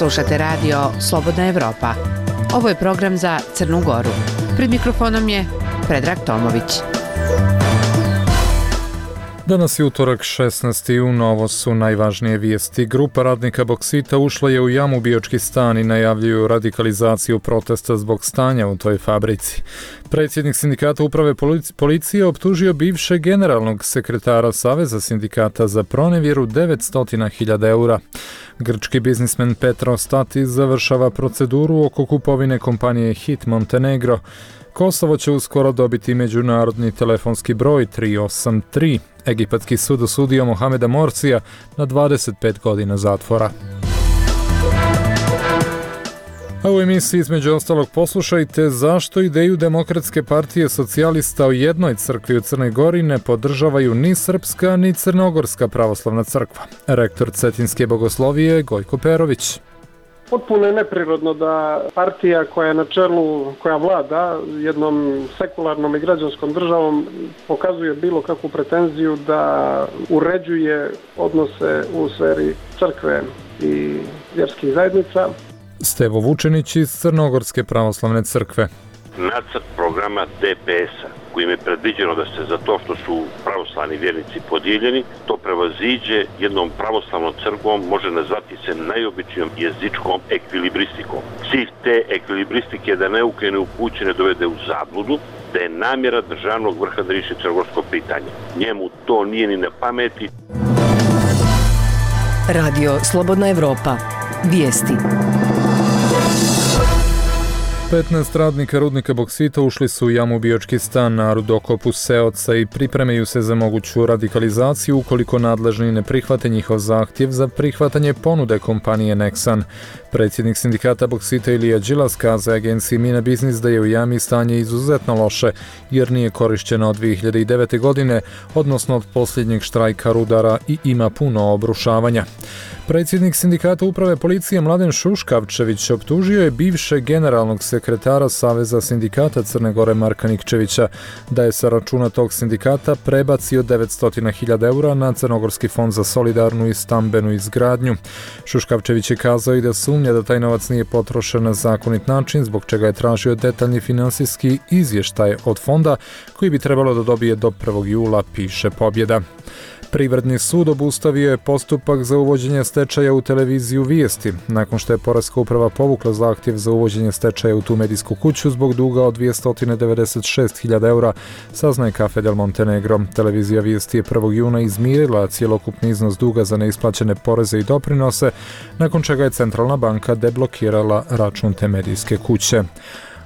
Slušate radio Slobodna Evropa. Ovo je program za Crnu Goru. Pred mikrofonom je Predrag Tomović. Danas je utorak 16. jun, ovo su najvažnije vijesti. Grupa radnika Boksita ušla je u jamu Biočki stan i najavljuju radikalizaciju protesta zbog stanja u toj fabrici. Predsjednik sindikata uprave policije optužio bivšeg generalnog sekretara Saveza sindikata za pronevjeru 900.000 eura. Grčki biznismen Petro Statis završava proceduru oko kupovine kompanije HIT Montenegro. Kosovo će uskoro dobiti međunarodni telefonski broj 383. Egipatski sud osudio Mohameda Morsija na 25 godina zatvora. A u emisiji između ostalog poslušajte zašto ideju Demokratske partije socijalista o jednoj crkvi u Crnoj Gori ne podržavaju ni Srpska ni Crnogorska pravoslavna crkva. Rektor Cetinske bogoslovije Gojko Perović. Potpuno je neprirodno da partija koja je na čelu, koja vlada jednom sekularnom i građanskom državom pokazuje bilo kakvu pretenziju da uređuje odnose u sferi crkve i vjerskih zajednica. Stevo Vučenić iz Crnogorske pravoslavne crkve. Nacrt programa DPS-a kojim je predviđeno da se za to što su pravoslavni vjernici podijeljeni, to prevaziđe jednom pravoslavnom crkvom, može nazvati se najobičnijom jezičkom ekvilibristikom. Cilj te ekvilibristike je da neuke i neupućene dovede u zabludu, da je namjera državnog vrha da riješi crnogorsko pitanje. Njemu to nije ni na pameti. Radio Slobodna Evropa. Vijesti. 15 radnika rudnika Boksita ušli su u jamu Biočki stan na rudokopu Seoca i pripremaju se za moguću radikalizaciju ukoliko nadležni ne prihvate njihov zahtjev za prihvatanje ponude kompanije Nexan. Predsjednik sindikata Boksita Ilija Đilas kazao agenciji Mina Biznis da je u jami stanje izuzetno loše jer nije korišćeno od 2009. godine, odnosno od posljednjeg štrajka rudara i ima puno obrušavanja. Predsjednik sindikata uprave policije Mladen Šuškavčević optužio je bivšeg generalnog sekretara Saveza sindikata Crne Gore Marka Nikčevića da je sa računa tog sindikata prebacio 900.000 eura na Crnogorski fond za solidarnu i stambenu izgradnju. Šuškavčević je kazao i da sumnja da taj novac nije potrošen na zakonit način, zbog čega je tražio detaljni finansijski izvještaj od fonda koji bi trebalo da dobije do 1. jula, piše Pobjeda. Privredni sud obustavio je postupak za uvođenje stečaja u televiziju Vijesti, nakon što je Poreska uprava povukla zahtjev za uvođenje stečaja u tu medijsku kuću zbog duga od 296.000 eura, saznaje Cafe del Montenegro. Televizija Vijesti je 1. juna izmirila cjelokupni iznos duga za neisplaćene poreze i doprinose, nakon čega je Centralna banka deblokirala račun te medijske kuće.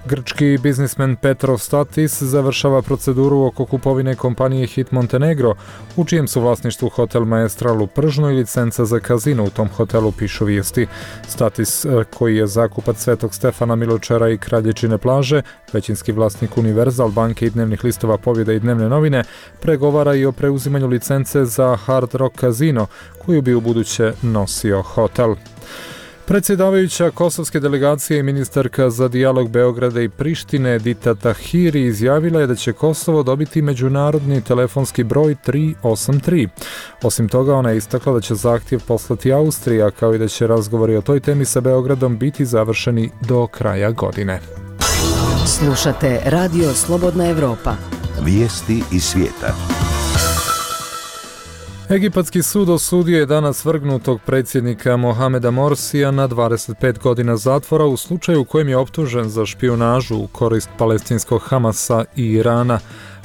Grčki biznismen Petro Statis završava proceduru oko kupovine kompanije HIT Montenegro, u čijem su vlasništvu hotel Maestral u Pržnu i licenca za kazino u tom hotelu, pišu Vijesti. Statis, koji je zakupac Svetog Stefana, Miločara i Kraljičine plaže, većinski vlasnik Univerzal banke i dnevnih listova Pobjeda i Dnevne novine, pregovara i o preuzimanju licence za Hard Rock kazino, koju bi ubuduće nosio hotel. Predsjedavajuća kosovske delegacije i ministarka za dijalog Beograda i Prištine Edita Tahiri izjavila je da će Kosovo dobiti međunarodni telefonski broj 383. Osim toga, ona je istakla da će zahtjev poslati Austrija, kao i da će razgovori o toj temi sa Beogradom biti završeni do kraja godine. Slušate Radio Slobodna Evropa. Vijesti iz svijeta. Egipatski sud osudio je danas vrgnutog predsjednika Mohameda Morsija na 25 godina zatvora u slučaju u kojem je optužen za špijunažu u korist palestinskog Hamasa i Irana.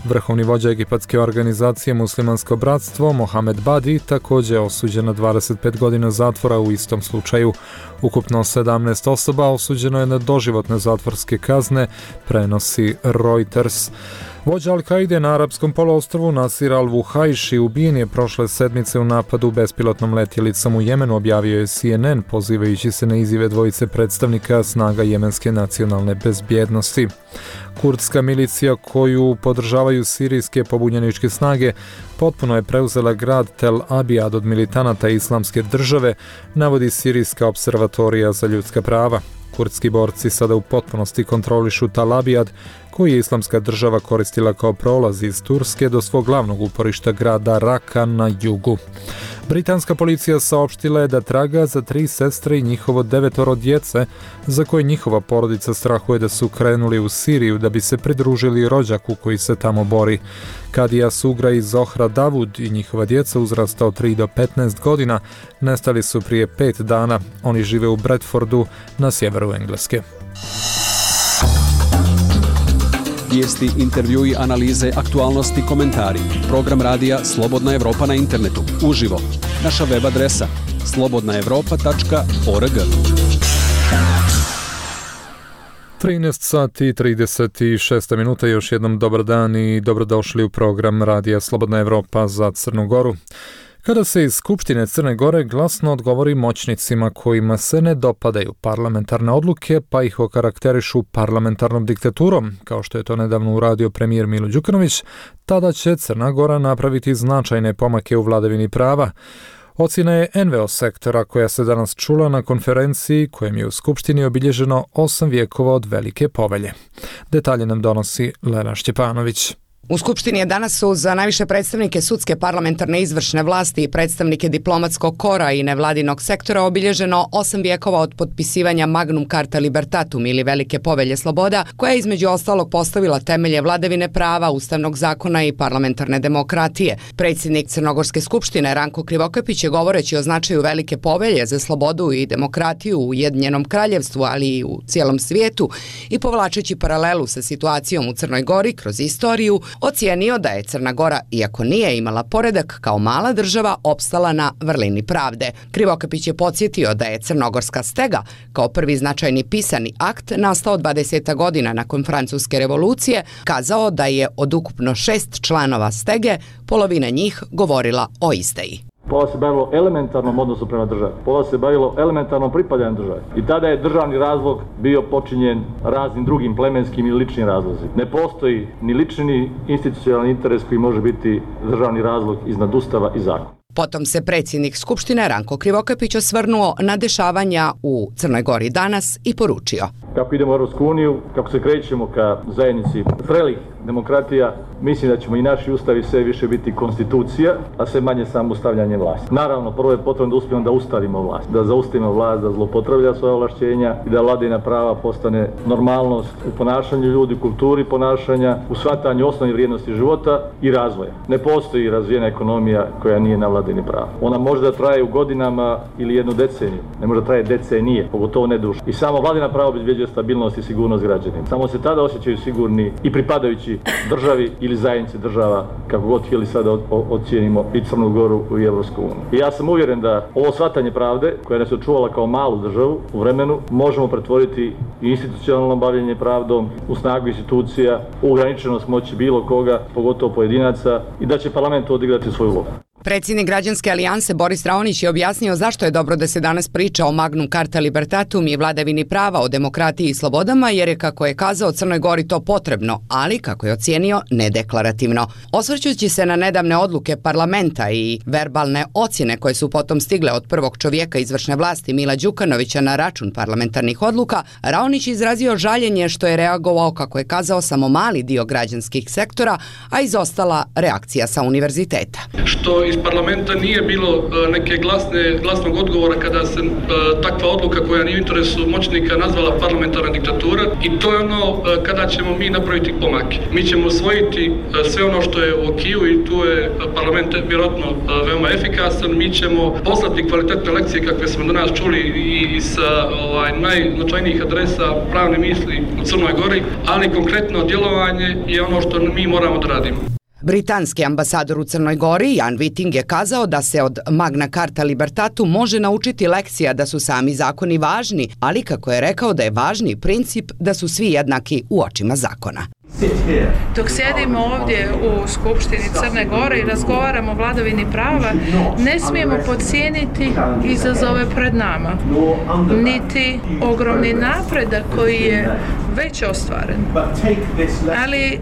Vrhovni vođa egipatske organizacije Muslimansko bratstvo, Mohamed Badi, također je osuđen na 25 godina zatvora u istom slučaju. Ukupno 17 osoba osuđeno je na doživotne zatvorske kazne, prenosi Reuters. Vođa Al-Kaide na arapskom poluostrvu Nasir al-Vuhajši ubijen je prošle sedmice u napadu bespilotnom letjelicom u Jemenu, objavio je CNN, pozivajući se na izjave dvojice predstavnika snaga jemenske nacionalne bezbjednosti. Kurdska milicija koju podržavaju sirijske pobunjeničke snage potpuno je preuzela grad Tel Abijad od militanata Islamske države, navodi Sirijska observatorija za ljudska prava. Kurdski borci sada u potpunosti kontrolišu Tel Abijad, koji je Islamska država koristila kao prolaz iz Turske do svog glavnog uporišta grada Raka na jugu. Britanska policija saopštila je da traga za 3 sestre i njihovo 9 djece, za koje njihova porodica strahuje da su krenuli u Siriju da bi se pridružili rođaku koji se tamo bori. Kadija Sugra i Zohra Davud i njihova djeca uzrasta od 3 do 15 godina nestali su prije 5 dana. Oni žive u Bradfordu na sjeveru Engleske. Vijesti, intervjui, analize, aktualnosti, komentari. Program radija Slobodna Evropa na internetu. Uživo. Naša web adresa slobodnaevropa.org. 13 sati i 36 minuta, još jednom dobar dan i dobrodošli u program radija Slobodna Evropa za Crnu Goru. Kada se iz Skupštine Crne Gore glasno odgovori moćnicima kojima se ne dopadaju parlamentarne odluke, pa ih okarakterišu parlamentarnom diktaturom, kao što je to nedavno uradio premijer Milo Đukanović, tada će Crna Gora napraviti značajne pomake u vladavini prava. Ocjena je NVO sektora koja se danas čula na konferenciji kojem je u Skupštini obilježeno 8 vjekova od Velike povelje. Detalje nam donosi Lena Šćepanović. U Skupštini je danas uz najviše predstavnike sudske, parlamentarne, izvršne vlasti i predstavnike diplomatskog kora i nevladinog sektora obilježeno 8 vjekova od potpisivanja Magnum Carta Libertatum ili Velike povelje sloboda, koja je između ostalog postavila temelje vladavine prava, ustavnog zakona i parlamentarne demokratije. Predsjednik Crnogorske skupštine Ranko Krivokapić je govoreći o značaju Velike povelje za slobodu i demokratiju u Ujedinjenom kraljevstvu, ali i u cijelom svijetu, i povlačeći paralelu sa situacijom u Crnoj Gori kroz istoriju, ocijenio da je Crna Gora, iako nije imala poredak, kao mala država opstala na vrlini pravde. Krivokapić je podsjetio da je Crnogorska stega, kao prvi značajni pisani akt, nastao 20 godina nakon Francuske revolucije, kazao da je od ukupno 6 članova stege, polovina njih govorila o izdaji. Pola se bavilo elementarnom odnosu prema državi. Pola se bavilo elementarnom pripadanjem državi. I tada je državni razlog bio počinjen raznim drugim plemenskim i ličnim razlozima. Ne postoji ni lični ni institucionalni interes koji može biti državni razlog iznad ustava i zakona. Potom se predsjednik Skupštine Ranko Krivokapić osvrnuo na dešavanja u Crnoj Gori danas i poručio: Kako idemo u Europsku uniju, kako se krećemo ka zajednici zrelih demokratija, mislim da ćemo i naši ustavi sve više biti konstitucija, a sve manje samo ustavljanje vlasti. Naravno, prvo je potrebno da uspijemo da ustavimo vlast, da zaustavimo vlast da zloupotreblja svoja ovlašćenja i da vladavina prava postane normalnost u ponašanju ljudi, kulturi ponašanja, u shvatanju osnovnih vrijednosti života i razvoja. Ne postoji razvijena ekonomija koja nije na vladavini prava. Ona može da traje u godinama ili jednu deceniju, ne može da traje decenije, pogotovo ne duže. I samo vladavina prava obezbeđuje stabilnost i sigurnost građanima. Samo se tada osjećaju sigurni i pripadajući državi ili zajednici država, kako god htjeli sada ocijenimo i Crnu Goru i Evropsku uniju. I ja sam uvjeren da ovo shvatanje pravde, koja nas je očuvala kao malu državu u vremenu, možemo pretvoriti i institucionalno bavljenje pravdom, u snagu institucija, u ograničenost moći bilo koga, pogotovo pojedinaca, i da će parlament odigrati svoju ulogu. Predsjednik Građanske alijanse Boris Raonić je objasnio zašto je dobro da se danas priča o Magnum Carta Libertatum i vladavini prava, o demokratiji i slobodama, jer je, kako je kazao, Crnoj Gori to potrebno, ali, kako je ocijenio, nedeklarativno. Osvrćući se na nedavne odluke parlamenta i verbalne ocjene koje su potom stigle od prvog čovjeka izvršne vlasti Mila Đukanovića na račun parlamentarnih odluka, Raonić izrazio žaljenje što je reagovao, kako je kazao, samo mali dio građanskih sektora, a izostala reakcija sa univerziteta. Što iz parlamenta nije bilo neke glasnog odgovora kada se takva odluka koja nije u interesu moćnika nazvala parlamentarna diktatura, i to je ono kada ćemo mi napraviti pomake. Mi ćemo usvojiti sve ono što je u okiju i tu je parlament vjerojatno veoma efikasan. Mi ćemo poslati kvalitetne lekcije kakve smo danas čuli i sa najznačajnijih adresa pravne misli u Crnoj Gori, ali konkretno djelovanje je ono što mi moramo da radimo. Britanski ambasador u Crnoj Gori, Jan Whiting, je kazao da se od Magna Carta Libertatum može naučiti lekcija da su sami zakoni važni, ali, kako je rekao, da je važni princip da su svi jednaki u očima zakona. Dok sjedimo ovdje u Skupštini Crne Gore i razgovaramo o vladavini prava, ne smijemo podcijeniti izazove pred nama, niti ogromni napredak koji je već ostvaren. Ali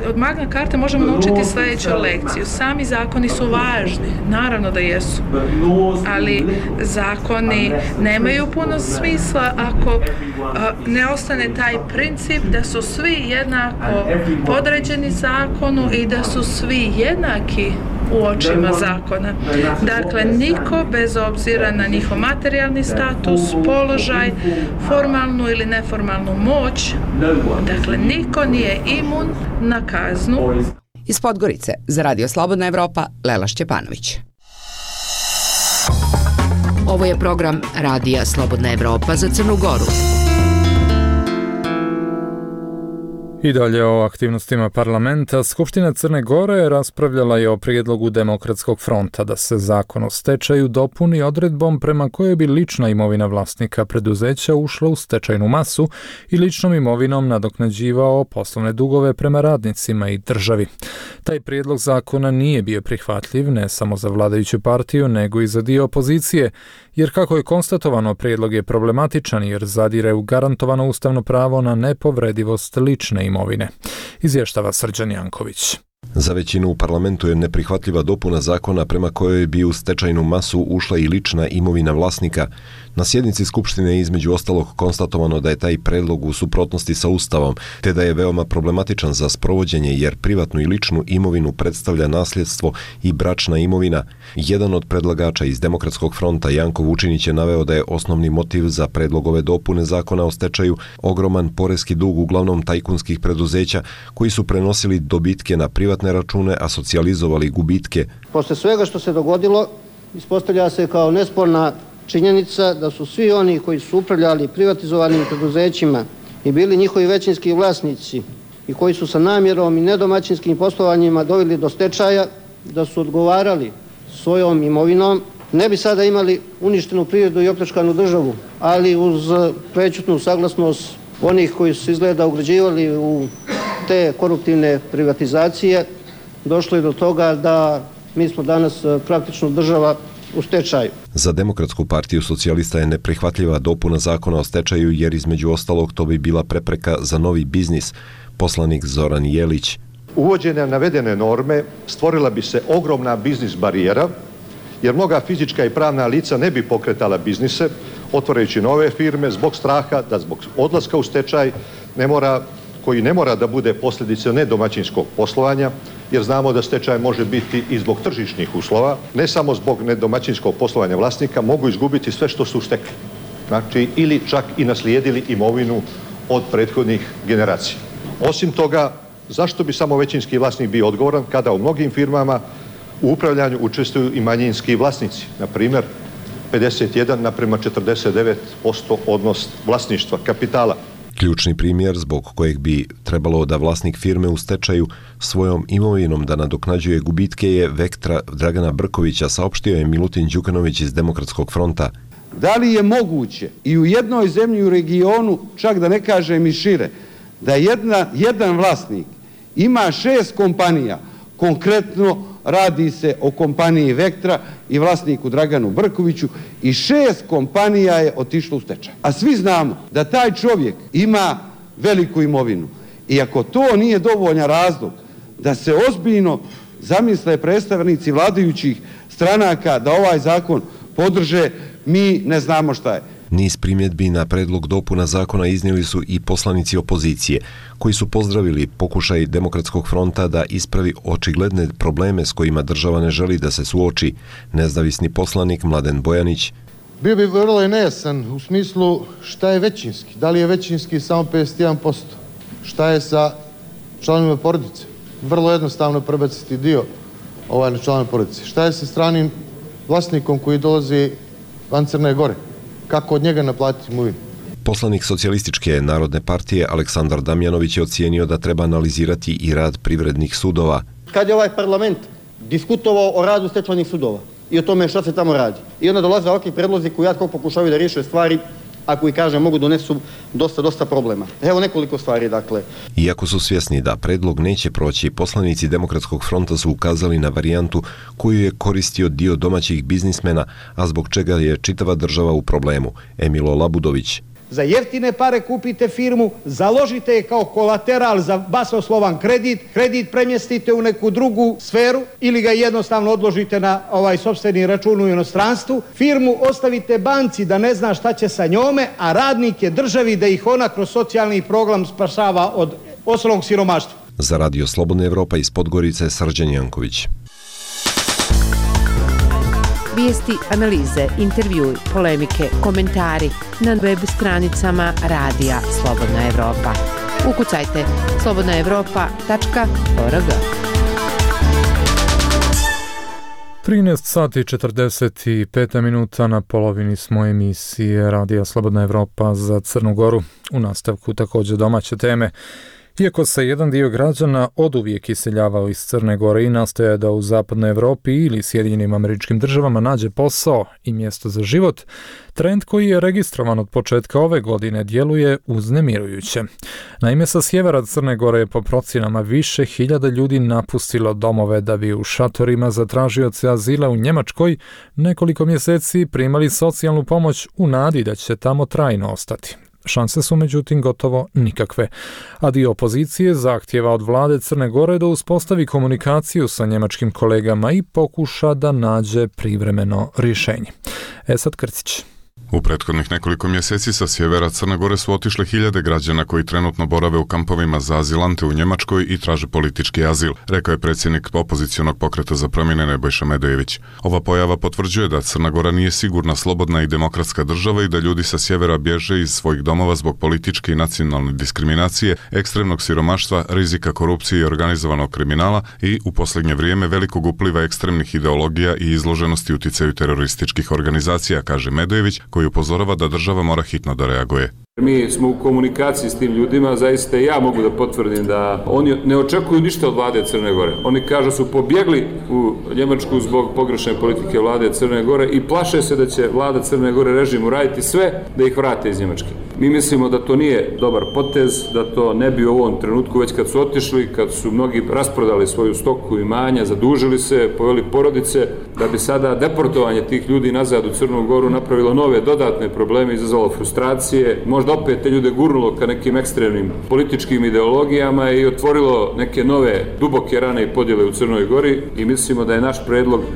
od Magna Carte možemo naučiti sljedeću lekciju. Sami zakoni su važni, naravno da jesu, ali zakoni nemaju puno smisla ako ne ostane taj princip da su svi jednako podređeni zakonu i da su svi jednaki u očima zakona. Dakle, niko bez obzira na njihov materijalni status, položaj, formalnu ili neformalnu moć, dakle, niko nije imun na kaznu. Iz Podgorice za Radio Slobodna Evropa, Lela Šćepanović. Ovo je program Radija Slobodna Evropa za Crnu Goru. I dalje o aktivnostima parlamenta. Skupština Crne Gore raspravljala je o prijedlogu Demokratskog fronta da se zakon o stečaju dopuni odredbom prema kojoj bi lična imovina vlasnika preduzeća ušla u stečajnu masu i ličnom imovinom nadoknađivao poslovne dugove prema radnicima i državi. Taj prijedlog zakona nije bio prihvatljiv ne samo za vladajuću partiju, nego i za dio opozicije, jer kako je konstatovano, prijedlog je problematičan jer zadire u garantovano ustavno pravo na nepovredivost lične imovine. Izvještava Srđan Janković. Za većinu u parlamentu je neprihvatljiva dopuna zakona prema kojoj bi u stečajnu masu ušla i lična imovina vlasnika. Na sjednici Skupštine je između ostalog konstatovano da je taj predlog u suprotnosti sa Ustavom, te da je veoma problematičan za sprovođenje jer privatnu i ličnu imovinu predstavlja nasljedstvo i bračna imovina. Jedan od predlagača iz Demokratskog fronta, Janko Vučinić, je naveo da je osnovni motiv za predlog ove dopune zakona o stečaju ogroman poreski dug uglavnom tajkunskih preduzeća koji su prenosili dobitke na privatne račune, a socijalizovali gubitke. Posle svega što se dogodilo, ispostavlja se kao nesporna činjenica da su svi oni koji su upravljali privatizovanim preduzećima i bili njihovi većinski vlasnici i koji su sa namjerom i nedomaćinskim poslovanjima doveli do stečaja, da su odgovarali svojom imovinom, ne bi sada imali uništenu privredu i opljačkanu državu, ali uz prećutnu saglasnost onih koji su izgleda ugrađivali u te koruptivne privatizacije, došlo je do toga da mi smo danas praktično država u stečaju. Za Demokratsku partiju socijalista je neprihvatljiva dopuna zakona o stečaju jer između ostalog to bi bila prepreka za novi biznis. Poslanik Zoran Jelić. Uvođenjem navedene norme stvorila bi se ogromna biznis barijera jer mnoga fizička i pravna lica ne bi pokretala biznise otvarajući nove firme zbog straha da zbog odlaska u stečaj koji ne mora da bude posljedica nedomaćinskog poslovanja, jer znamo da stečaj može biti i zbog tržišnih uslova, ne samo zbog nedomaćinskog poslovanja vlasnika, mogu izgubiti sve što su stekli. Znači, ili čak i naslijedili imovinu od prethodnih generacija. Osim toga, zašto bi samo većinski vlasnik bio odgovoran kada u mnogim firmama u upravljanju učestvuju i manjinski vlasnici, na primjer 51:49% odnos vlasništva kapitala. Ključni primjer zbog kojeg bi trebalo da vlasnik firme u stečaju svojom imovinom da nadoknađuje gubitke je Vektra Dragana Brkovića, saopštio je Milutin Đukanović iz Demokratskog fronta. Da li je moguće i u jednoj zemlji u regionu, čak da ne kažem i šire, da jedan vlasnik ima 6 kompanija, konkretno radi se o kompaniji Vektra i vlasniku Draganu Brkoviću, i 6 kompanija je otišlo u stečaj. A svi znamo da taj čovjek ima veliku imovinu. I ako to nije dovoljan razlog da se ozbiljno zamisle predstavnici vladajućih stranaka da ovaj zakon podrže, mi ne znamo šta je. Niz primjedbi na predlog dopuna zakona iznijeli su i poslanici opozicije, koji su pozdravili pokušaj Demokratskog fronta da ispravi očigledne probleme s kojima država ne želi da se suoči. Nezavisni poslanik Mladen Bojanić. Bio bi vrlo nejasan u smislu šta je većinski. Da li je većinski samo 51%? Šta je sa članovima porodice? Vrlo jednostavno prebaciti dio na članove porodice. Šta je sa stranim vlasnikom koji dolazi van Crne Gore? Kako od njega naplatiti imovinu? Poslanik Socijalističke narodne partije Aleksandar Damjanović je ocijenio da treba analizirati i rad privrednih sudova. Kad je ovaj parlament diskutovao o radu stečajnih sudova i o tome šta se tamo radi, i onda dolaze ovakvi predlozi koji pokušavaju da riješe stvari, a koji, kažem, mogu donesu dosta problema. Evo nekoliko stvari, dakle. Iako su svjesni da predlog neće proći, poslanici Demokratskog fronta su ukazali na varijantu koju je koristio dio domaćih biznismena, a zbog čega je čitava država u problemu. Emilo Labudović. za jeftine pare kupite firmu, založite je kao kolateral za basnoslovan kredit premjestite u neku drugu sferu ili ga jednostavno odložite na sopstveni račun u inostranstvu, firmu ostavite banci da ne zna šta će sa njome, a radnike državi da ih ona kroz socijalni program spašava od osnovnog siromaštva. Za Radio Slobodna Evropa iz Podgorice Srđan Janković. Vijesti, analize, intervjui, polemike, komentari na web stranicama Radija Slobodna Evropa. Ukucajte slobodnaevropa.org. 13 sati 45 minuta, na polovini smo emisije Radija Slobodna Evropa za Crnu Goru. U nastavku također domaće teme. Iako se jedan dio građana oduvijek iseljavao iz Crne Gore i nastoje da u zapadnoj Evropi ili Sjedinjenim Američkim Državama nađe posao i mjesto za život, trend koji je registrovan od početka ove godine djeluje uznemirujuće. Naime, sa sjevera Crne Gore je po procjenama više hiljada ljudi napustilo domove da bi u šatorima za tražioce azila u Njemačkoj nekoliko mjeseci primali socijalnu pomoć u nadi da će tamo trajno ostati. Šanse su međutim gotovo nikakve, a dio opozicije zahtjeva od vlade Crne Gore da uspostavi komunikaciju sa njemačkim kolegama i pokuša da nađe privremeno rješenje. Esad Krcić. U prethodnih nekoliko mjeseci sa sjevera Crne Gore su otišle hiljade građana koji trenutno borave u kampovima za azilante u Njemačkoj i traže politički azil, rekao je predsjednik opozicionog pokreta za promjene Nebojša Medojević. Ova pojava potvrđuje da Crna Gora nije sigurna, slobodna i demokratska država i da ljudi sa sjevera bježe iz svojih domova zbog političke i nacionalne diskriminacije, ekstremnog siromaštva, rizika korupcije i organizovanog kriminala i u posljednje vrijeme velikog upliva ekstremnih ideologija i izloženosti uticaju terorističkih organizacija, kaže Medojević, koji upozorava da država mora hitno da reaguje. Mi smo u komunikaciji s tim ljudima, zaista ja mogu da potvrdim da oni ne očekuju ništa od vlade Crne Gore. Oni kažu su pobjegli u Njemačku zbog pogrešne politike vlade Crne Gore i plaše se da će vlada Crne Gore režimu raditi sve da ih vrate iz Njemačke. Mi mislimo da to nije dobar potez, da to ne bi u ovom trenutku, već kad su otišli, kad su mnogi rasprodali svoju stoku imanja, zadužili se, poveli porodice, da bi sada deportovanje tih ljudi nazad u Crnu Goru napravilo nove dodatne probleme, izazvalo frustracije, možda opet te ljude gurnulo ka nekim ekstremnim političkim ideologijama i otvorilo neke nove duboke rane i podjele u Crnoj Gori i mislimo da je naš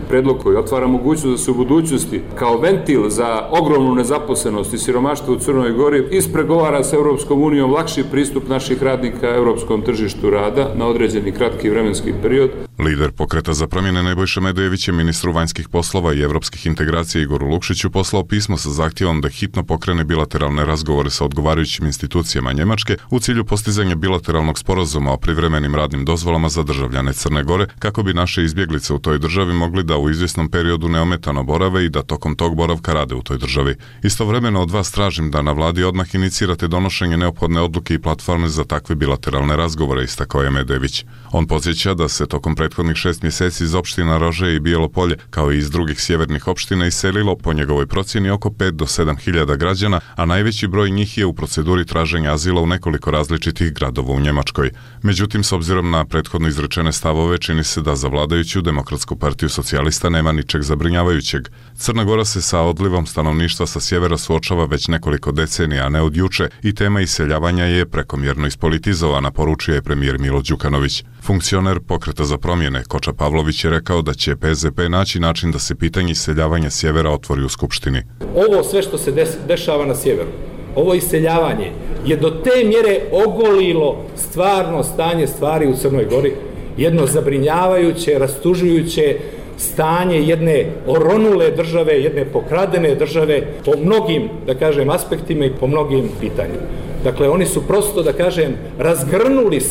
predlog koji otvara mogućnost da se u budućnosti kao ventil za ogromnu nezaposlenost i siromaštvo u Crnoj Gori ispregovara sa Europskom unijom lakši pristup naših radnika europskom tržištu rada na određeni kratki vremenski period. Lider pokreta za promjene Nebojša Medojević je ministru vanjskih poslova i europskih integracija Igoru Lukšiću poslao pismo sa zahtjevom da hitno pokrene bilateralne razgovore sa odgovarajućim institucijama Njemačke u cilju postizanja bilateralnog sporazuma o privremenim radnim dozvolama za državljane Crne Gore, kako bi naše izbjeglice u toj državi mogli da u izvjesnom periodu neometano borave i da tokom tog boravka rade u toj državi. Istovremeno od vas tražim da na vladi odmah inicirate donošenje neophodne odluke i platforme za takve bilateralne razgovore, istakao je Medojević. On podsjeća da se tokom prethodnih 6 mjeseci iz opština Rože i Bijelo Polje, kao i iz drugih sjevernih opština, iselilo po njegovoj procjeni oko 5 do 7 hiljada građana, a najveći broj njih je u proceduri traženja azila u nekoliko različitih gradova u Njemačkoj. Međutim, s obzirom na prethodno izrečene stavove, čini se da za vladajuću Demokratsku partiju socijalista nema ničeg zabrinjavajućeg. Crna Gora se sa odlivom stanovništva sa sjevera suočava već nekoliko decenija, a ne od juče, i tema iseljavanja je prekomjerno ispolitizovana, poručuje premijer Milo Đukanović. Funkcioner pokreta za promjene Koča Pavlović je rekao da će PZP naći način da se pitanje iseljavanja sjevera otvori u Skupštini. Ovo sve što se dešava na sjeveru, ovo iseljavanje je do te mjere ogolilo stvarno stanje stvari u Crnoj Gori, jedno zabrinjavajuće, rastužujuće stanje jedne oronule države, jedne pokradene države po mnogim, da kažem, aspektima i po mnogim pitanjima. Dakle, oni su prosto, da kažem, razgrnuli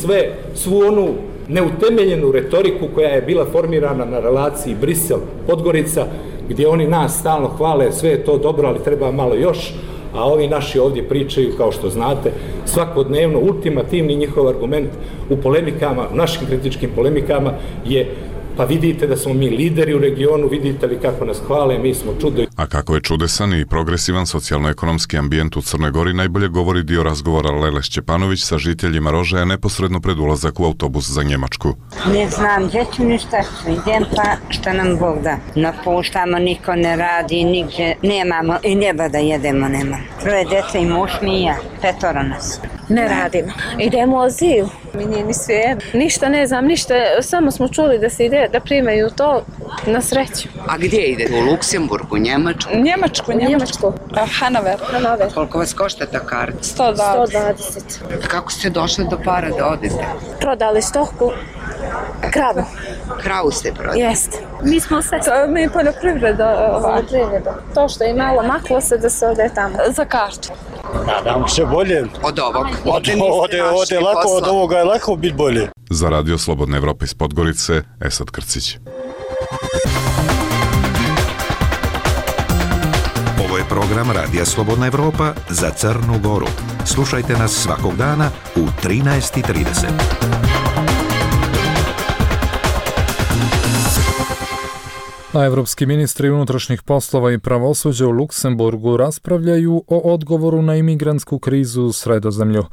svu onu neutemeljenu retoriku koja je bila formirana na relaciji Brisel-Podgorica, gdje oni nas stalno hvale, sve je to dobro, ali treba malo još, a ovi naši ovdje pričaju, kao što znate, svakodnevno, ultimativni njihov argument u polemikama, u našim kritičkim polemikama je pa vidite da smo mi lideri u regionu, vidite li kako nas hvale, mi smo čudo. A kako je čudesan i progresivan socijalno-ekonomski ambijent u Crnoj Gori najbolje govori dio razgovora Lele Šćepanović sa žiteljima Rožaja neposredno pred ulazak u autobus za Njemačku. Ne znam gdje ću ništa, idem pa šta nam Bog da. Napuštamo, niko ne radi, nigdje nemamo i neba da jedemo nema. 3 djece i muž mi i ja, 5 nas. Ne radimo. Idemo u azil. Mi nije ni svejedno. Ništa ne znam, ništa. Samo smo čuli da se ide, da primaju to na sreću. A gdje ide? U Luksemburgu, Njemačku? Njemačku. Hanover. Koliko vas košta ta karta? 120. Kako ste došli do para da odete? Prodali stoku. Kravu. Kravu ste prodali? Jeste. Mi smo mi poljoprivreda. To što je malo maklo se da se ode tamo. Za kartu. Nadam se bolje. Od ovog? Ode lako, od ovoga je lako biti bolje. Za Radio Slobodna Evropa iz Podgorice, Esad Krcić. Ovo je program Radija Slobodna Evropa za Crnu Goru. Slušajte nas svakog dana u 13:30. A evropski ministri unutrašnjih poslova i pravosuđa u Luksemburgu raspravljaju o odgovoru na imigrantsku krizu u Sredozemlju.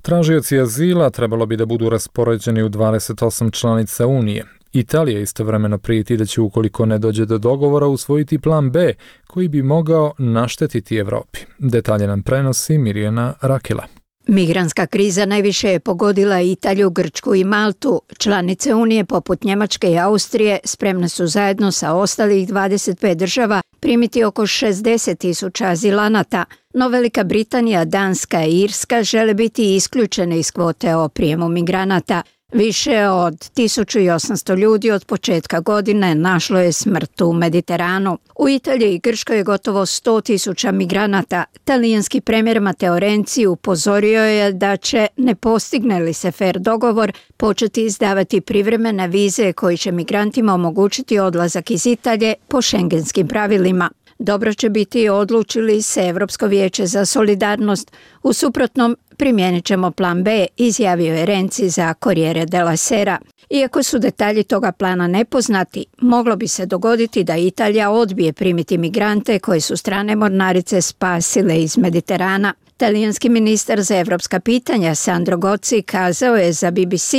Tražioci azila trebalo bi da budu raspoređeni u 28 članica Unije. Italija istovremeno prijeti da će, ukoliko ne dođe do dogovora, usvojiti plan B koji bi mogao naštetiti Evropi. Detalje nam prenosi Mirjana Rakela. Migrantska kriza najviše je pogodila Italiju, Grčku i Maltu. Članice Unije poput Njemačke i Austrije spremne su zajedno sa ostalih 25 država primiti oko 60.000 azilanata, no Velika Britanija, Danska i Irska žele biti isključene iz kvote o prijemu migranata. Više od 1800 ljudi od početka godine našlo je smrt u Mediteranu. U Italiji i Grčkoj je gotovo 100.000 migranata. Talijanski premijer Matteo Renzi upozorio je da će, ne postigne li se fer dogovor, početi izdavati privremene vize koji će migrantima omogućiti odlazak iz Italije po šengenskim pravilima. Dobro će biti odlučili se Europsko vijeće za solidarnost. U suprotnom, primijenit ćemo plan B, izjavio je Renzi za Corriere della Sera. Iako su detalji toga plana nepoznati, moglo bi se dogoditi da Italija odbije primiti migrante koje su strane mornarice spasile iz Mediterana. Talijanski ministar za evropska pitanja Sandro Gozi kazao je za BBC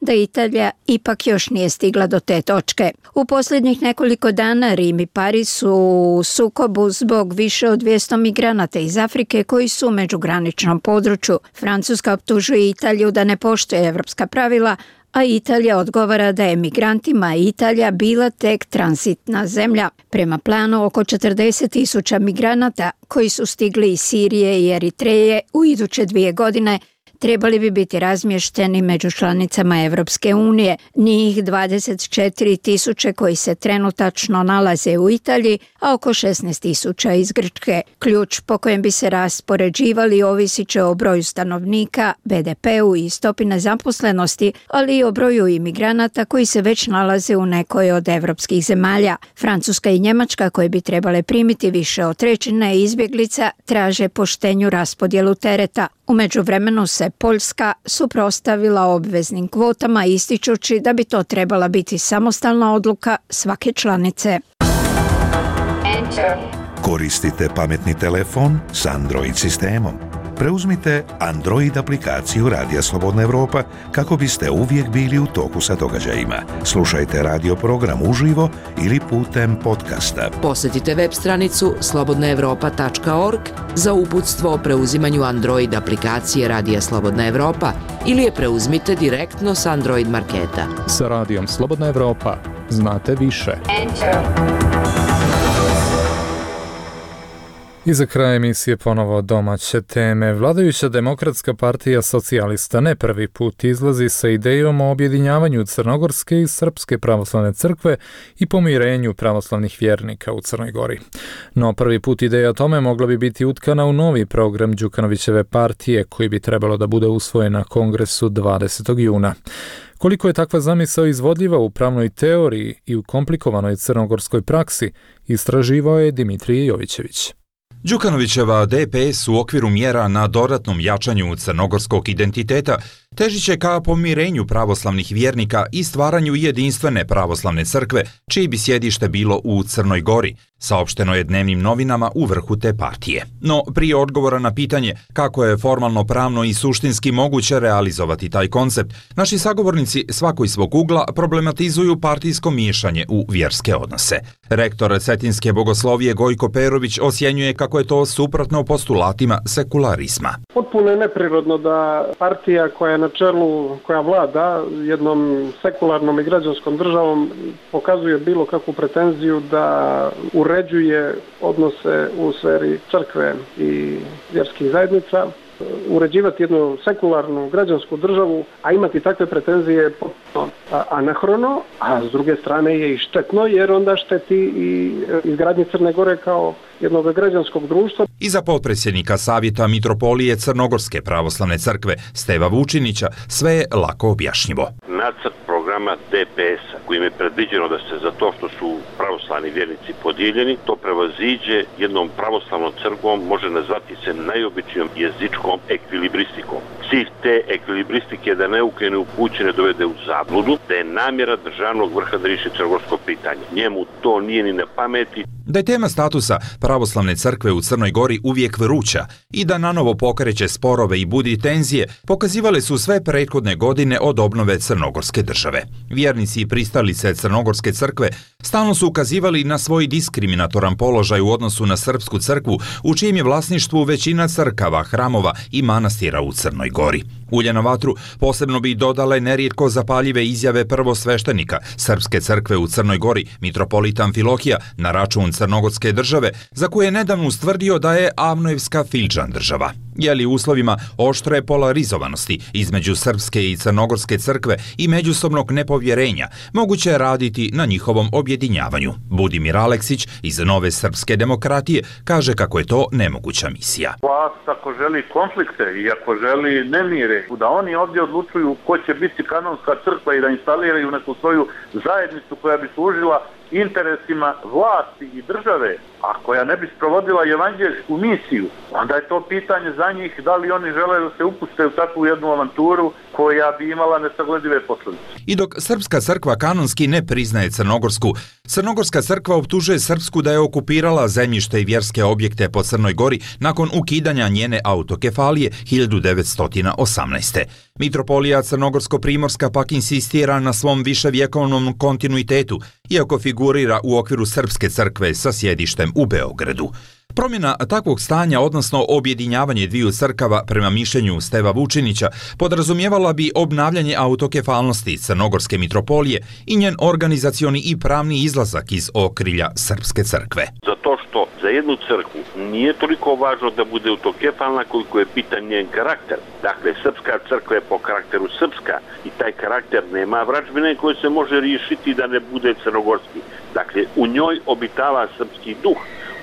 da Italija ipak još nije stigla do te točke. U posljednjih nekoliko dana Rim i Pariz su u sukobu zbog više od 200 migranata iz Afrike koji su u međugraničnom području. Francuska optužuje Italiju da ne poštuje evropska pravila, a Italija odgovara da je migrantima Italija bila tek tranzitna zemlja. Prema planu, oko 40.000 migranata koji su stigli iz Sirije i Eritreje u iduće 2 godine trebali bi biti razmješteni među članicama Evropske unije. Njih 24.000 koji se trenutačno nalaze u Italiji, a oko 16.000 iz Grčke. Ključ po kojem bi se raspoređivali ovisit će o broju stanovnika, BDP-u i stopi nezaposlenosti, ali i o broju imigranata koji se već nalaze u nekoj od evropskih zemalja. Francuska i Njemačka, koje bi trebale primiti više od 1/3 izbjeglica, traže poštenju raspodjelu tereta. U međuvremenu se Poljska suprotstavila obveznim kvotama, ističući da bi to trebala biti samostalna odluka svake članice. Koristite pametni telefon s Android sistemom. Preuzmite Android aplikaciju Radija Slobodna Evropa kako biste uvijek bili u toku sa događajima. Slušajte radio program uživo ili putem podcasta. Posjetite web stranicu slobodnaevropa.org za uputstvo o preuzimanju Android aplikacije Radija Slobodna Evropa ili je preuzmite direktno s Android marketa. Sa Radijom Slobodna Evropa znate više. I za kraj emisije ponovo domaće teme. Vladajuća Demokratska partija socijalista ne prvi put izlazi sa idejom o objedinjavanju Crnogorske i Srpske pravoslavne crkve i pomirenju pravoslavnih vjernika u Crnoj Gori. No prvi put ideja o tome mogla bi biti utkana u novi program Đukanovićeve partije koji bi trebalo da bude usvojen na kongresu 20. juna. Koliko je takva zamisao izvodljiva u pravnoj teoriji i u komplikovanoj crnogorskoj praksi, istraživao je Dimitrije Jovićević. Đukanovićeva DPS u okviru mjera na dodatnom jačanju crnogorskog identiteta težiće ka pomirenju pravoslavnih vjernika i stvaranju jedinstvene pravoslavne crkve, čije bi sjedište bilo u Crnoj Gori, saopšteno je dnevnim novinama u vrhu te partije. No, prije odgovora na pitanje kako je formalno, pravno i suštinski moguće realizovati taj koncept, naši sagovornici svako iz svog ugla problematizuju partijsko miješanje u vjerske odnose. Rektor Cetinske bogoslovije Gojko Perović osjenjuje kako je to suprotno postulatima sekularizma. Potpuno je neprirodno da partija koja je na čelu, koja vlada jednom sekularnom i građanskom državom pokazuje bilo kakvu pretenziju da uređuje odnose u sferi crkve i vjerskih zajednica. Uređivati jednu sekularnu građansku državu, a imati takve pretenzije je potpuno anahrono, a s druge strane je i štetno, jer onda šteti i izgradnje Crne Gore kao jednog građanskog društva. I za potpredsjednika Savjeta Mitropolije Crnogorske pravoslavne crkve Steva Vučinića sve je lako objašnjivo. Nacrt programa DPS-a kojim je predviđeno da se za to što su pravoslavni vjernici podijeljeni, to prevaziđe jednom pravoslavnom crkvom, može nazvati se najobičnijom jezičkom ekvilibristikom. Cilj te ekvilibristike da neuke i neupućene dovede u zabludu, da je namjera državnog vrha da riješi crnogorsko pitanje. Njemu to nije ni na pameti. Da je tema statusa pravoslavne crkve u Crnoj Gori uvijek vruća i da nanovo pokreće sporove i budi tenzije, pokazivale su sve prethodne godine od obnove Crnogorske države. Vjernici i pristalice Crnogorske crkve stalno su ukazivali na svoj diskriminatoran položaj u odnosu na srpsku crkvu, u čijem je vlasništvu većina crkava, hramova i manastira u Crnoj Gori. Ulje na vatru posebno bi dodale nerijetko zapaljive izjave prvosveštenika Srpske crkve u Crnoj Gori, mitropolita Amfilohija, na račun Crnogorske države, za koje je nedavno ustvrdio da je Avnojevska Filčan država. Je li u uslovima oštre polarizovanosti između Srpske i Crnogorske crkve i međusobnog nepovjerenja moguće raditi na njihovom objedinjavanju? Budimir Aleksić iz Nove srpske demokratije kaže kako je to nemoguća misija. Vlast ako želi konflikte i ako želi nemire, da oni ovdje odlučuju ko će biti kanonska crkva i da instaliraju neku svoju zajednicu koja bi služila interesima vlasti i države, a koja ne bi sprovodila evanđeljsku misiju, onda je to pitanje za njih da li oni žele da se upuste u takvu jednu avanturu koja bi imala nesagledive posljedice. I dok Srpska crkva kanonski ne priznaje Crnogorsku, Crnogorska crkva optužuje Srpsku da je okupirala zemljište i vjerske objekte po Crnoj Gori nakon ukidanja njene autokefalije 1918. Mitropolija Crnogorsko-primorska pak insistira na svom viševjekovnom kontinuitetu, iako figurira u okviru Srpske crkve sa sjedištem u Beogradu. Promjena takvog stanja, odnosno objedinjavanje dviju crkava prema mišljenju Steva Vučinića, podrazumijevala bi obnavljanje autokefalnosti Crnogorske mitropolije i njen organizacioni i pravni izlazak iz okrilja Srpske crkve. Zato što za jednu crkvu nije toliko važno da bude autokefalna koliko je pitan njen karakter. Dakle, Srpska crkva je po karakteru srpska i taj karakter nema vražbine koje se može riješiti da ne bude crnogorski. Dakle, u njoj obitava srpski duh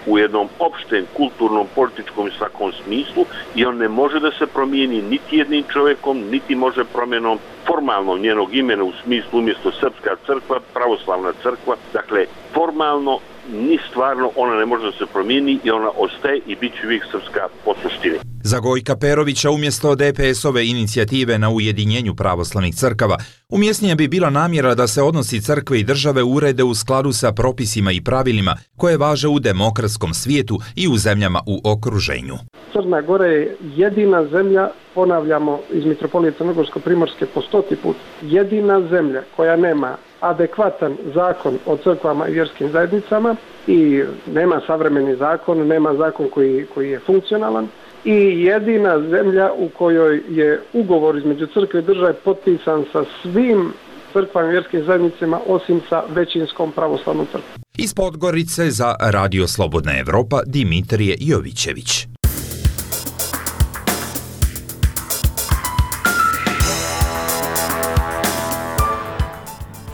u jednom opštem, kulturnom, političkom i svakom smislu i on ne može da se promijeni niti jednim čovjekom, niti može promjenom formalno njenog imena u smislu umjesto Srpska crkva, pravoslavna crkva. Dakle, formalno ni stvarno ona ne može da se promijeni i ona ostaje i bit će uvijek srpska po suštini. Za Gojka Perovića umjesto DPS-ove inicijative na ujedinjenju pravoslavnih crkava, umjesnije bi bila namjera da se odnosi crkve i države urede u skladu sa propisima i pravilima koje važe u demokratskom svijetu i u zemljama u okruženju. Crna Gora je jedina zemlja, ponavljamo iz Mitropolije Crnogorsko-primorske po 100. put, jedina zemlja koja nema adekvatan zakon o crkvama i vjerskim zajednicama i nema savremeni zakon, nema zakon koji je funkcionalan i jedina zemlja u kojoj je ugovor između crkve i države potpisan sa svim crkvama i vjerskim zajednicama osim sa većinskom pravoslavnom crkvom. Iz Podgorice za Radio Slobodna Evropa Dimitrije Jovićević.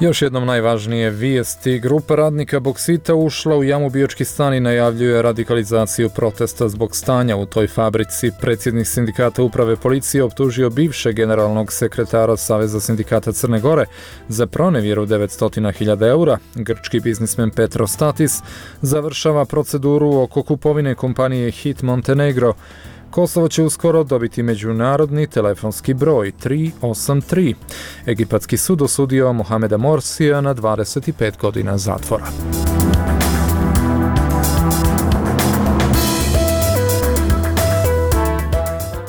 Još jednom najvažnije vijesti. Grupa radnika Boksita ušla u jamu Biočki stan i najavljuje radikalizaciju protesta zbog stanja u toj fabrici. Predsjednik sindikata uprave policije optužio bivšeg generalnog sekretara Saveza sindikata Crne Gore za pronevjeru 900.000 eura. Grčki biznismen Petros Statis završava proceduru oko kupovine kompanije Hit Montenegro, Kosovo će uskoro dobiti međunarodni telefonski broj 383. Egipatski sud osudio Mohameda Morsija na 25 godina zatvora.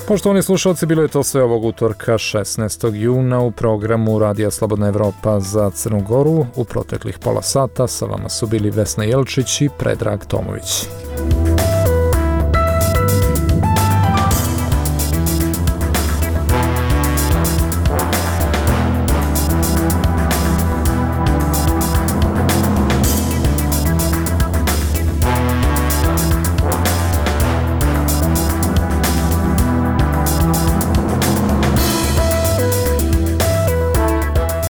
Poštovani slušalci, bilo je to sve ovog utorka 16. juna u programu Radija Slobodna Evropa za Crnu Goru. U proteklih pola sata sa vama su bili Vesna Jelčić i Predrag Tomović.